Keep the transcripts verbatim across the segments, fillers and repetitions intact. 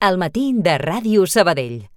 Al matí de Ràdio Sabadell.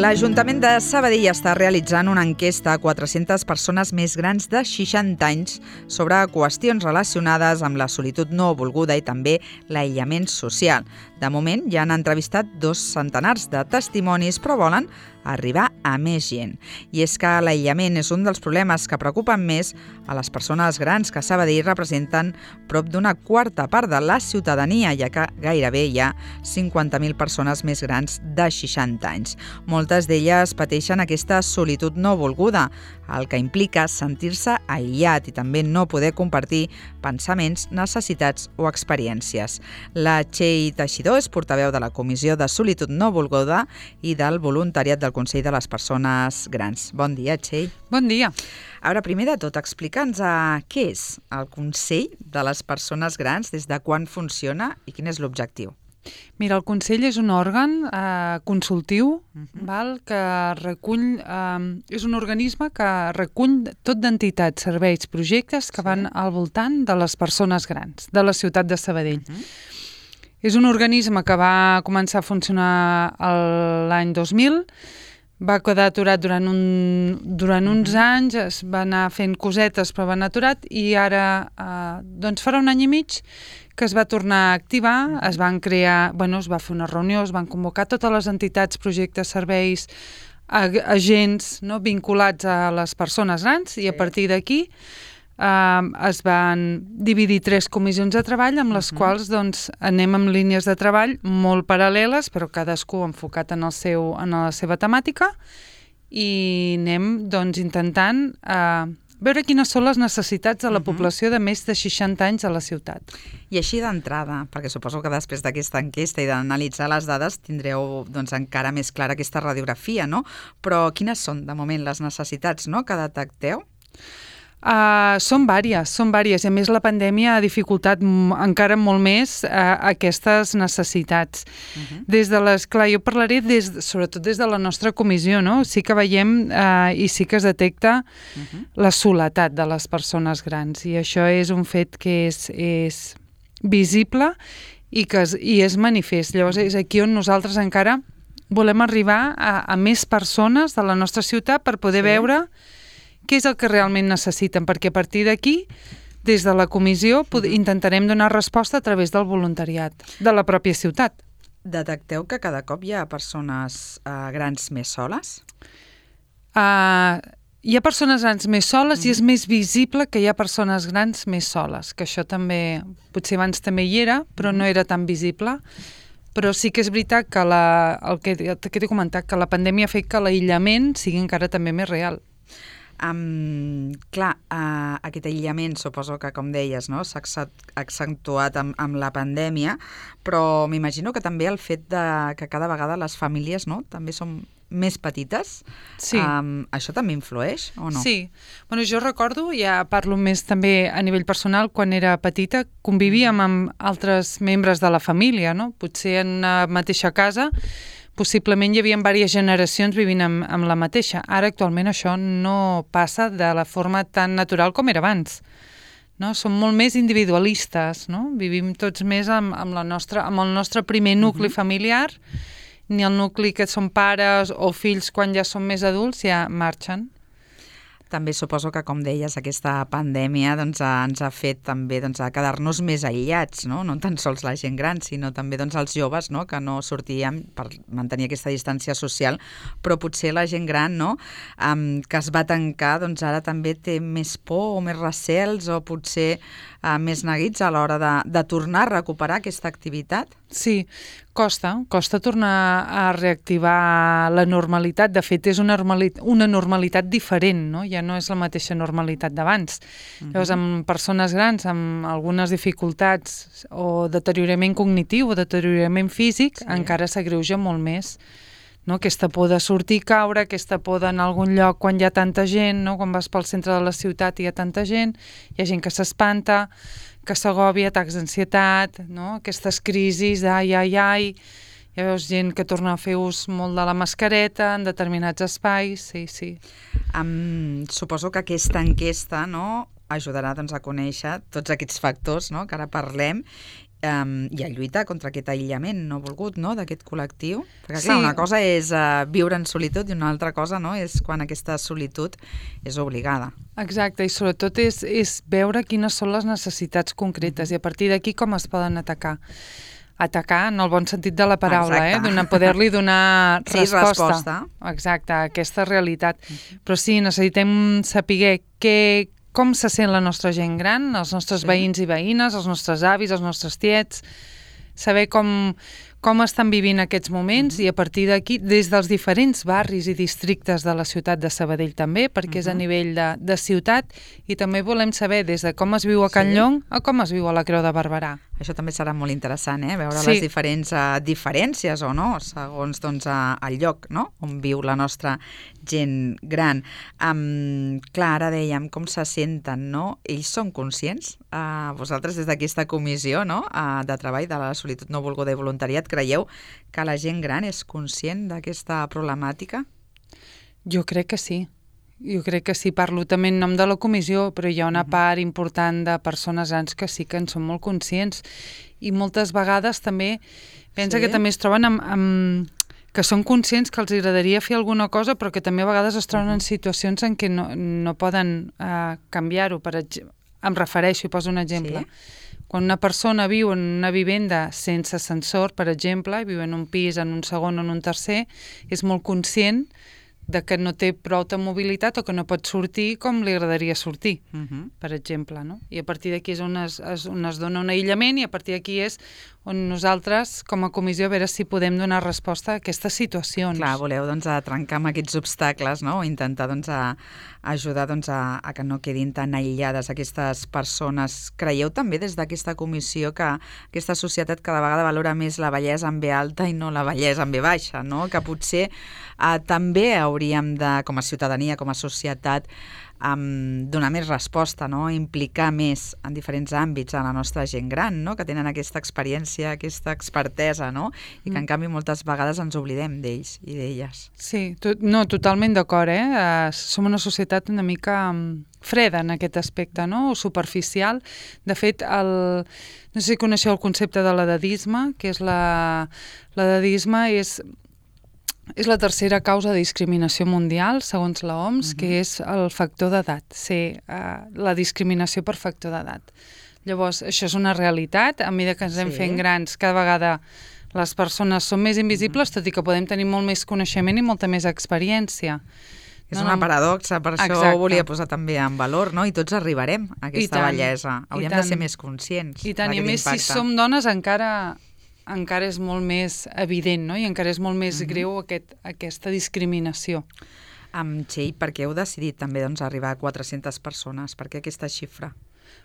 L'Ajuntament de Sabadell està realitzant una enquesta a quatre-centes persones més grans de seixanta anys sobre qüestions relacionades amb la solitud no volguda i també l'aïllament social. De moment ja han entrevistat dos centenars de testimonis, però volen arribar a més gent. I és que l'aïllament és un dels problemes que preocupen més a les persones grans, que a Sabadell representen prop d'una quarta part de la ciutadania, ja que gairebé hi ha cinquanta mil persones més grans de seixanta anys. Moltes d'elles pateixen aquesta solitud no volguda, el que implica sentir-se aïllat i també no poder compartir pensaments, necessitats o experiències. La Txell Teixidor és portaveu de la Comissió de Solitud No Volguda i del Voluntariat del Consell de les Persones Grans. Bon dia, Txell. Bon dia. Ara, primer de tot, explica'ns uh, què és el Consell de les Persones Grans, des de quan funciona i quin és l'objectiu. Mira, el Consell és un òrgan eh, consultiu, uh-huh. val, que recull, eh, és un organisme que recull tot d'entitats, serveis, projectes que sí. van al voltant de les persones grans, de la ciutat de Sabadell. Uh-huh. És un organisme que va començar a funcionar l'any dos mil, va quedar aturat durant, un, durant uh-huh. uns anys, es va anar fent cosetes però va anar aturat i ara, eh, doncs farà un any i mig que es va tornar a activar, es van crear, bueno, es va fer una reunió, es van convocar totes les entitats, projectes, serveis, agents, no, vinculats a les persones grans i a partir d'aquí eh, es van dividir tres comissions de treball amb les uh-huh. quals doncs, anem amb línies de treball molt paral·leles, però cadascú enfocat en, el seu, en la seva temàtica i anem doncs, intentant eh, veure quines són les necessitats de la uh-huh. població de més de seixanta anys a la ciutat. I així d'entrada, perquè suposo que després d'aquesta enquesta i d'analitzar les dades tindreu doncs, encara més clara aquesta radiografia, no? Però quines són, de moment, les necessitats, no?, que detecteu? Uh, són vàries, són vàries, i a més la pandèmia ha dificultat m- encara molt més uh, aquestes necessitats. Uh-huh. Des de les, clar, jo parlaré des, sobretot des de la nostra comissió, no? Sí que veiem uh, i sí que es detecta uh-huh. la soledat de les persones grans i això és un fet que és, és visible i que és, i és manifest. Llavors és aquí on nosaltres encara volem arribar a, a més persones de la nostra ciutat per poder sí. veure què és el que realment necessiten, perquè a partir d'aquí, des de la comissió, pod- uh-huh. intentarem donar resposta a través del voluntariat de la pròpia ciutat. Detecteu que cada cop hi ha persones uh, grans més soles? Uh, hi ha persones grans més soles uh-huh. i és més visible que hi ha persones grans més soles, que això també, potser abans també hi era, però uh-huh. no era tan visible. Però sí que és veritat que, la, el que, que t'he comentat, que la pandèmia ha fet que l'aïllament sigui encara també més real. Um, clar, uh, aquest aïllament suposo que, com deies, no, s'ha accentuat amb, amb la pandèmia, però m'imagino que també el fet de que cada vegada les famílies, no, també són més petites, sí. um, això també influeix o no? Sí. Bueno, jo recordo, ja parlo més també a nivell personal, quan era petita convivíem amb altres membres de la família, no? Potser en una mateixa casa possiblement hi havia diverses generacions vivint amb, amb la mateixa. Ara, actualment, això no passa de la forma tan natural com era abans. No? Som molt més individualistes, no? Vivim tots més amb, amb, la nostra, amb el nostre primer nucli uh-huh. familiar, ni el nucli que són pares o fills quan ja són més adults ja marxen. També suposo que, com deies, aquesta pandèmia doncs, ens ha fet també doncs, a quedar-nos més aïllats, no? No tan sols la gent gran, sinó també doncs, els joves, no? Que no sortíem per mantenir aquesta distància social, però potser la gent gran, no? um, que es va tancar, doncs ara també té més por o més recels o potser uh, més neguits a l'hora de, de tornar a recuperar aquesta activitat? Sí, costa, costa tornar a reactivar la normalitat. De fet, és una normalitat, una normalitat diferent, no? Ja no és la mateixa normalitat d'abans. Uh-huh. Llavors, amb persones grans, amb algunes dificultats o deteriorament cognitiu o deteriorament físic, sí. encara s'agreuja molt més. no? Aquesta por de sortir i caure, aquesta por d'anar a algun lloc quan hi ha tanta gent, no? Quan vas pel centre de la ciutat i hi ha tanta gent, hi ha gent que s'espanta, que s'agòbia, atacs d'ansietat, no? Aquestes crisis d'ai, ai, ai, ja veus gent que torna a fer ús molt de la mascareta en determinats espais, sí, sí. Um, suposo que aquesta enquesta, no?, ajudarà doncs, a conèixer tots aquests factors, no?, que ara parlem, Um, i a lluitar contra aquest aïllament no volgut, no?, d'aquest col·lectiu. Perquè, clar, sí. Una cosa és uh, viure en solitud i una altra cosa, no?, és quan aquesta solitud és obligada. Exacte, i sobretot és, és veure quines són les necessitats concretes i a partir d'aquí com es poden atacar. Atacar en el bon sentit de la paraula, eh? Donar, poder-li donar sí, resposta. resposta. Exacte, a aquesta realitat. Però sí, necessitem saber què com se sent la nostra gent gran, els nostres sí. veïns i veïnes, els nostres avis, els nostres tiets, saber com, com estan vivint aquests moments uh-huh. i a partir d'aquí, des dels diferents barris i districtes de la ciutat de Sabadell també, perquè uh-huh. és a nivell de, de ciutat, i també volem saber des de com es viu a Can sí. Llong a com es viu a la Creu de Barberà. Això també serà molt interessant, eh? Veure sí. les diferents uh, diferències o no, segons doncs, uh, el lloc, no?, on viu la nostra gent gran. Um, clar, ara dèiem com se senten, no? Ells són conscients? Uh, vosaltres des d'aquesta comissió, no?, uh, de treball de la solitud no volguda i voluntariat, creieu que la gent gran és conscient d'aquesta problemàtica? Jo crec que sí. Jo crec que sí, parlo també en nom de la comissió, però hi ha una uh-huh. part important de persones grans que sí que en són molt conscients i moltes vegades també pensa sí? que també es troben amb, amb, que són conscients que els agradaria fer alguna cosa però que també a vegades es troben uh-huh. en situacions en què no, no poden uh, canviar-ho. Per exemple, em refereixo, i poso un exemple. Sí? Quan una persona viu en una vivenda sense ascensor, per exemple, i viu en un pis, en un segon o en un tercer, és molt conscient de que no té prou de mobilitat o que no pot sortir com li agradaria sortir, uh-huh. per exemple, no? I a partir d'aquí és on es, es, on es dona un aïllament i a partir d'aquí és on nosaltres, com a comissió, a veure si podem donar resposta a aquestes situacions. Clar, voleu doncs, a trencar amb aquests obstacles, no?, o intentar doncs, a, a ajudar doncs, a, a que no quedin tan aïllades aquestes persones. Creieu també des d'aquesta comissió que aquesta societat cada vegada valora més la bellesa en B alta i no la bellesa en B baixa, no?, que potser eh, també hauríem de, com a ciutadania, com a societat, Um, donar més resposta, no?, implicar més en diferents àmbits a la nostra gent gran, no?, que tenen aquesta experiència, aquesta expertesa, no?, i que en canvi moltes vegades ens oblidem d'ells i d'elles. Sí, to- no, totalment d'acord, eh? Uh, som una societat una mica um, freda en aquest aspecte, no?, o superficial. De fet, el, no sé si coneixeu el concepte de l'edadisme, que és la... L'edadisme és... És la tercera causa de discriminació mundial, segons l'O M S, uh-huh. que és el factor d'edat, ser uh, la discriminació per factor d'edat. Llavors, això és una realitat. A mesura que ens anem sí. fent grans, cada vegada les persones són més invisibles, uh-huh. tot i que podem tenir molt més coneixement i molta més experiència. És no, una no... paradoxa, per això Exacte. Ho volia posar també en valor, no? I tots arribarem a aquesta bellesa. Hauríem de ser més conscients. I tant, i més impacte. Si som dones encara... encara és molt més evident, no? I encara és molt més uh-huh. greu aquest, aquesta discriminació. Amb Txell, per què heu decidit també doncs, arribar a quatre-centes persones? Per què aquesta xifra?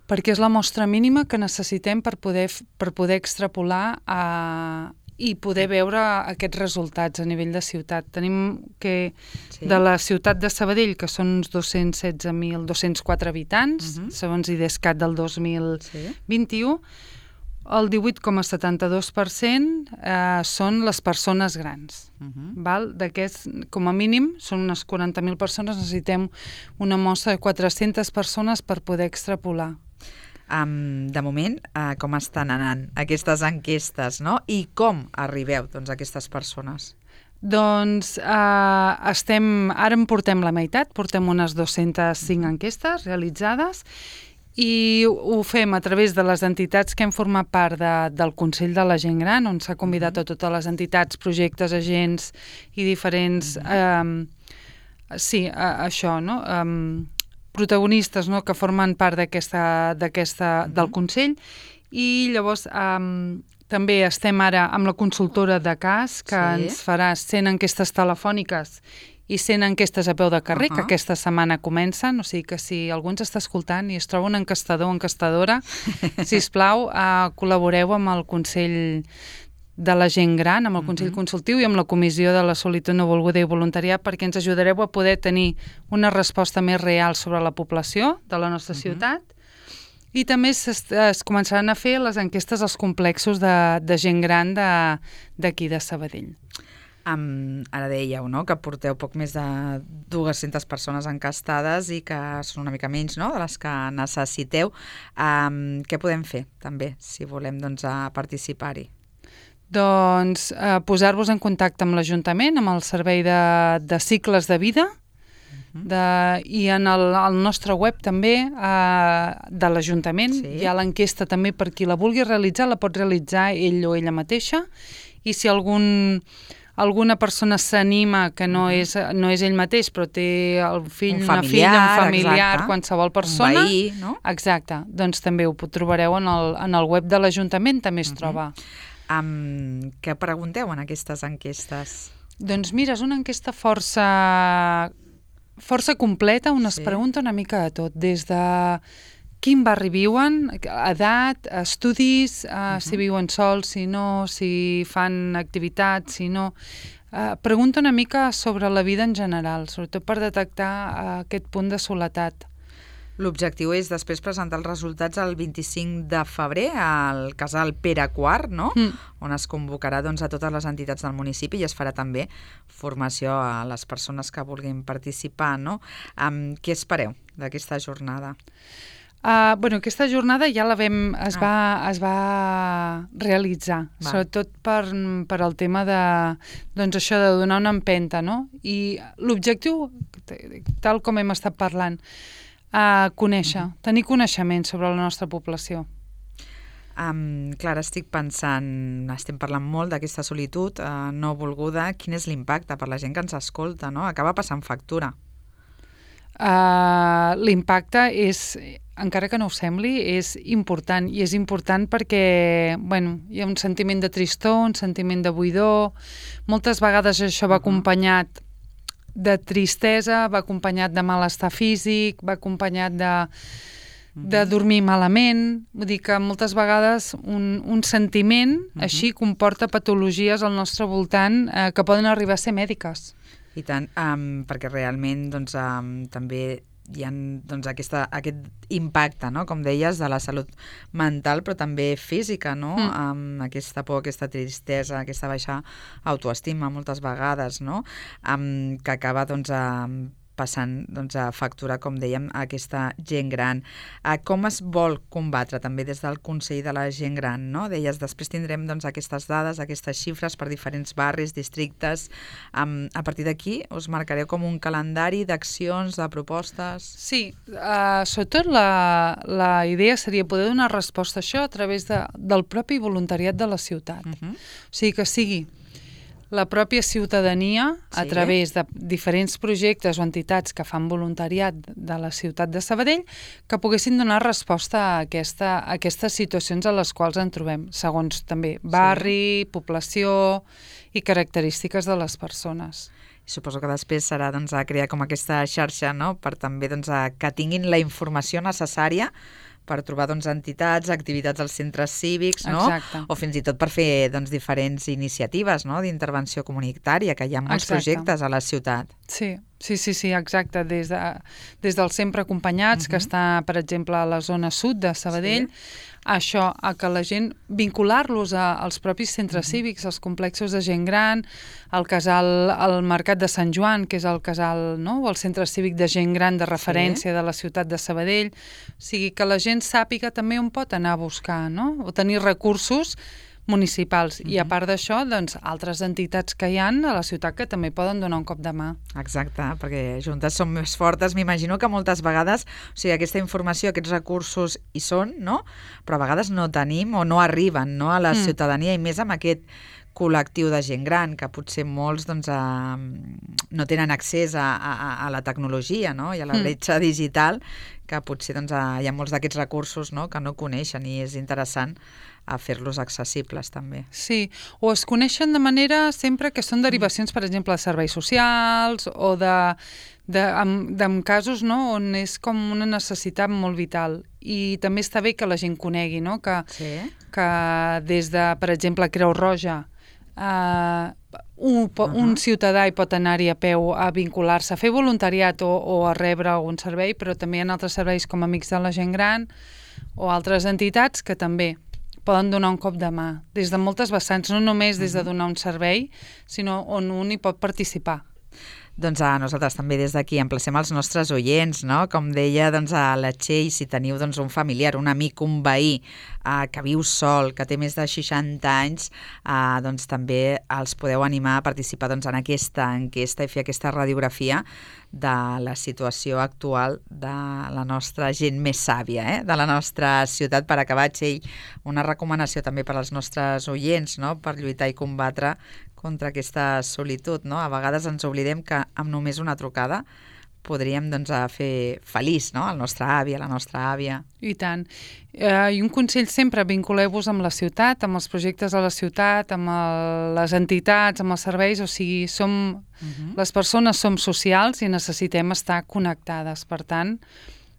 Perquè és la mostra mínima que necessitem per poder, per poder extrapolar a, i poder veure aquests resultats a nivell de ciutat. Tenim que sí. de la ciutat de Sabadell, que són uns dos-cents setze mil dos-cents quatre habitants, uh-huh. segons IDESCAT del dos mil vint-i-u, sí. el divuit coma setanta-dos per cent eh, són les persones grans. Uh-huh. Val? D'aquests, com a mínim, són unes quaranta mil persones, necessitem una mostra de quatre-centes persones per poder extrapolar. Um, de moment, uh, com estan anant aquestes enquestes, no? I com arribeu doncs, a aquestes persones? Doncs eh, estem, ara en portem la meitat, portem unes dues-centes cinc enquestes realitzades i ho fem a través de les entitats que hem format part de, del Consell de la Gent Gran, on s'ha convidat a totes les entitats, projectes, agents i diferents... Uh-huh. Eh, sí, a, això, no? Um, protagonistes, no?, que formen part d'aquesta, d'aquesta, uh-huh. del Consell. I llavors um, també estem ara amb la consultora de cas, que sí. ens farà cent enquestes telefòniques i cent enquestes a peu de carrer, uh-huh. que aquesta setmana comencen, o sigui que si algú ens està escoltant i es troba un enquestador o enquestadora, sisplau, uh, col·laboreu amb el Consell de la gent gran, amb el Consell uh-huh. Consultiu i amb la Comissió de la Solitud No Volguda i Voluntariat, perquè ens ajudareu a poder tenir una resposta més real sobre la població de la nostra uh-huh. ciutat. I també es, es començaran a fer les enquestes als complexos de, de gent gran d'aquí de, de Sabadell. Um, ara dèieu, no?, que porteu poc més de dues-centes persones encastades i que són una mica menys, no?, de les que necessiteu. Um, què podem fer, també, si volem doncs, a participar-hi? Doncs eh, posar-vos en contacte amb l'Ajuntament, amb el Servei de, de Cicles de Vida, de, i en el, el nostre web també eh, de l'Ajuntament. Sí. Hi ha l'enquesta també per qui la vulgui realitzar, la pot realitzar ell o ella mateixa, i si algun... alguna persona s'anima, que no, uh-huh. és, no és ell mateix, però té el fill, un una familiar, filla, un familiar, exacte. Qualsevol persona. Un veí, no? Exacte. Doncs també ho trobareu en el, en el web de l'Ajuntament, també es uh-huh. troba. Um, què pregunteu en aquestes enquestes? Doncs mira, és una enquesta força, força completa, on es sí. pregunta una mica de tot, des de quin barri viuen, edat, estudis, uh, uh-huh. si viuen sols, si no, si fan activitats, si no... Uh, pregunta una mica sobre la vida en general, sobretot per detectar uh, aquest punt de soledat. L'objectiu és després presentar els resultats el vint-i-cinc de febrer al casal Pere quart, no? Mm. On es convocarà doncs, a totes les entitats del municipi i es farà també formació a les persones que vulguin participar, no? Um, què espereu d'aquesta jornada? Uh, bueno, aquesta jornada ja la vam, es, ah. va, es va realitzar, va. Sobretot per, per el tema de, doncs això de donar una empenta, no? I l'objectiu, tal com hem estat parlant, uh, conèixer, uh-huh. tenir coneixement sobre la nostra població. Um, clar, estic pensant, estem parlant molt d'aquesta solitud uh, no volguda, quin és l'impacte per la gent que ens escolta, no? Acaba passant factura. Uh, l'impacte és, encara que no ho sembli, és important, i és important perquè bueno, hi ha un sentiment de tristor, un sentiment de buidor, moltes vegades això va acompanyat de tristesa, va acompanyat de malestar físic, va acompanyat de, de dormir malament, vull dir que moltes vegades un, un sentiment uh-huh. així comporta patologies al nostre voltant eh, que poden arribar a ser mèdiques. I tant, um, perquè realment doncs, um, també hi ha doncs, aquesta, aquest impacte, no? Com deies, de la salut mental, però també física, no? Mm. Um, aquesta por, aquesta tristesa, aquesta baixa autoestima moltes vegades, no? Um, que acaba doncs, um, passant doncs, a facturar, com dèiem, a aquesta gent gran. Uh, com es vol combatre també des del Consell de la Gent Gran, no? Deies, després tindrem doncs, aquestes dades, aquestes xifres per diferents barris, districtes. Um, a partir d'aquí us marcareu com un calendari d'accions, de propostes? Sí, uh, sobretot la, la idea seria poder donar resposta a això a través de, del propi voluntariat de la ciutat. Uh-huh. O sigui, que sigui la pròpia ciutadania, sí. a través de diferents projectes o entitats que fan voluntariat de la ciutat de Sabadell, que poguessin donar resposta a, aquesta, a aquestes situacions a les quals ens trobem, segons també barri, sí. població i característiques de les persones. I suposo que després serà doncs, a crear com aquesta xarxa, no?, per també doncs, a que tinguin la informació necessària per trobar doncs, entitats, activitats als centres cívics, no? Exacte. O fins i tot per fer doncs, diferents iniciatives, no?, d'intervenció comunitària, que hi ha molts Exacte. projectes a la ciutat. Sí, sí, sí, sí exacte. Des, de, des del Sempre Acompanyats, uh-huh. que està, per exemple, a la zona sud de Sabadell, sí. això, a que la gent, vincular-los a, als propis centres uh-huh. cívics, als complexos de gent gran, al casal, al Mercat de Sant Joan, que és el casal, no?, o el centre cívic de gent gran de referència sí. de la ciutat de Sabadell. O sigui, que la gent sàpiga també on pot anar a buscar, no?, o tenir recursos municipals. Uh-huh. I a part d'això, doncs, altres entitats que hi ha a la ciutat que també poden donar un cop de mà. Exacte, perquè juntes som més fortes. M'imagino que moltes vegades, o sigui, aquesta informació, aquests recursos hi són, no?, però a vegades no tenim o no arriben, no?, a la mm. ciutadania, i més amb aquest col·lectiu de gent gran, que potser molts doncs, a, no tenen accés a, a, a la tecnologia, no?, i a la bretxa mm. digital, que potser doncs, a, hi ha molts d'aquests recursos, no?, que no coneixen, i és interessant a fer-los accessibles també. Sí, o es coneixen de manera sempre que són derivacions, per exemple, de serveis socials o de, de, amb, de, en casos, no?, on és com una necessitat molt vital. I també està bé que la gent conegui, no?, que, sí. que des de, per exemple, Creu Roja, eh, un, uh-huh. un ciutadà hi pot anar-hi a peu a vincular-se, a fer voluntariat o, o a rebre algun servei, però també hi ha altres serveis com Amics de la Gent Gran o altres entitats que també poden donar un cop de mà, des de moltes vessants, no només des de donar un servei, sinó on un hi pot participar. Doncs a nosaltres també des d'aquí emplacem els nostres oients, no? Com deia doncs, a la Txell, si teniu doncs, un familiar, un amic, un veí eh, que viu sol, que té més de seixanta anys, eh, doncs també els podeu animar a participar doncs, en aquesta enquesta i fer aquesta radiografia de la situació actual de la nostra gent més sàvia, eh? De la nostra ciutat. Per acabar, Txell, una recomanació també per als nostres oients, no? Per lluitar i combatre contra aquesta solitud, no? A vegades ens oblidem que amb només una trucada podríem doncs, fer feliç, no?, el nostre avi, la nostra àvia. I tant. Eh, I un consell sempre, vinculeu-vos amb la ciutat, amb els projectes de la ciutat, amb el, les entitats, amb els serveis, o sigui, som, uh-huh. les persones som socials i necessitem estar connectades. Per tant,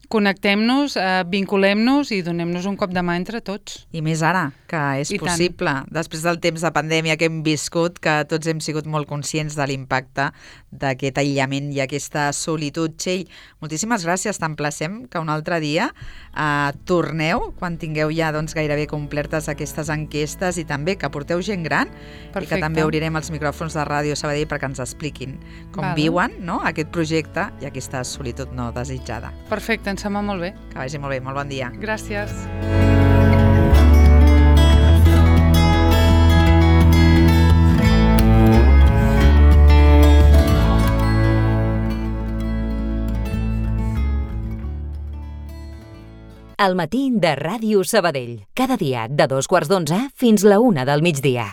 connectem-nos, eh, vinculem-nos i donem-nos un cop de mà entre tots. I més ara, que és I possible, tant. Després del temps de pandèmia que hem viscut, que tots hem sigut molt conscients de l'impacte d'aquest aïllament i aquesta solitud. Txell, moltíssimes gràcies, t'emplacem que un altre dia eh, torneu, quan tingueu ja doncs, gairebé complertes aquestes enquestes i també que porteu gent gran. Perfecte. I que també obrirem els micròfons de Ràdio Sabadell perquè ens expliquin com vale. viuen, no?, aquest projecte i aquesta solitud no desitjada. Perfecte, ens sembla molt bé. Que vagi molt bé, molt bon dia. Gràcies. El matí de Ràdio Sabadell. Cada dia de dos quarts d'onze fins la una del migdia.